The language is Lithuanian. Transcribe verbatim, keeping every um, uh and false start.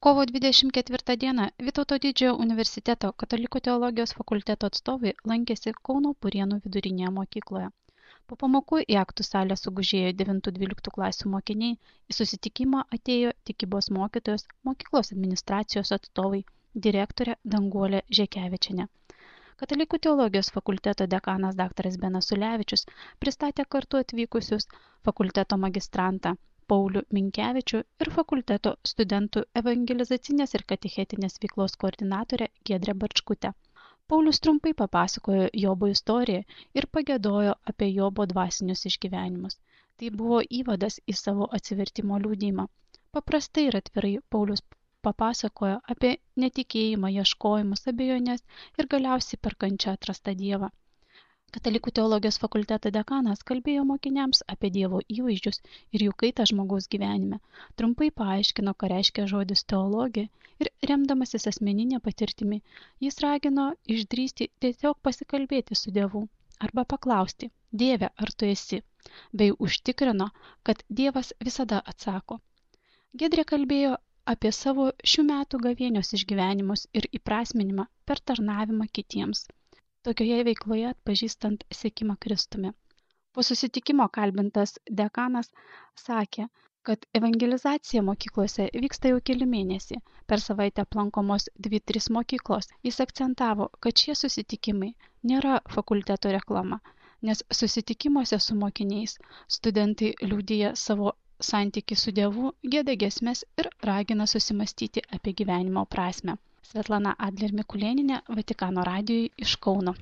Kovo dvidešimt ketvirtą dieną Vytauto Didžiojo universiteto Katalikų teologijos fakulteto atstovai lankėsi Kauno Purienų vidurinėje mokykloje. Po pamokų į aktų salę sugužėjo devintų dvyliktų klasių mokiniai, į susitikimą atėjo tikybos mokytojos, mokyklos administracijos atstovai, direktorė Danguolė Žekevičienė. Katalikų teologijos fakulteto dekanas daktaras Benas Ulevičius pristatė kartu atvykusius fakulteto magistrantą Paulių Minkevičių ir fakulteto studentų evangelizacinės ir katechetinės veiklos koordinatorę Giedrę Barčkutę. Paulius trumpai papasakojo Jobo istoriją ir pagiedojo apie Jobo dvasinius išgyvenimus. Tai buvo įvadas į savo atsivertimo liudijimą. Paprastai ir atvirai Paulius papasakojo apie netikėjimą, ieškojimus, abejonės ir galiausiai per kančią atrastą Dievą. Katalikų teologijos fakulteto dekanas kalbėjo mokiniams apie Dievo įvaizdžius ir jų kaitą žmogaus gyvenime, trumpai paaiškino, ką reiškia žodis teologija ir remdamasis asmeninė patirtimi, jis ragino išdrįsti tiesiog pasikalbėti su Dievu arba paklausti, Dieve, ar tu esi, bei užtikrino, kad Dievas visada atsako. Giedrė kalbėjo apie savo šių metų gavėnios išgyvenimus ir įprasminimą per tarnavimą kitiems. Tokioje veikloje atpažįstant sekimą Kristumi. Po susitikimo kalbintas dekanas sakė, kad evangelizacija mokyklose vyksta jau keli mėnesiai. Per savaitę aplankomos dvi tris mokyklos. Jis akcentavo, kad šie susitikimai nėra fakulteto reklama, nes susitikimuose su mokiniais studentai liudija savo santykį su Dievu, gieda giesmes ir ragina susimastyti apie gyvenimo prasmę. Svetlana Adler Mikulėnienė, Vatikano radijui iš Kauno.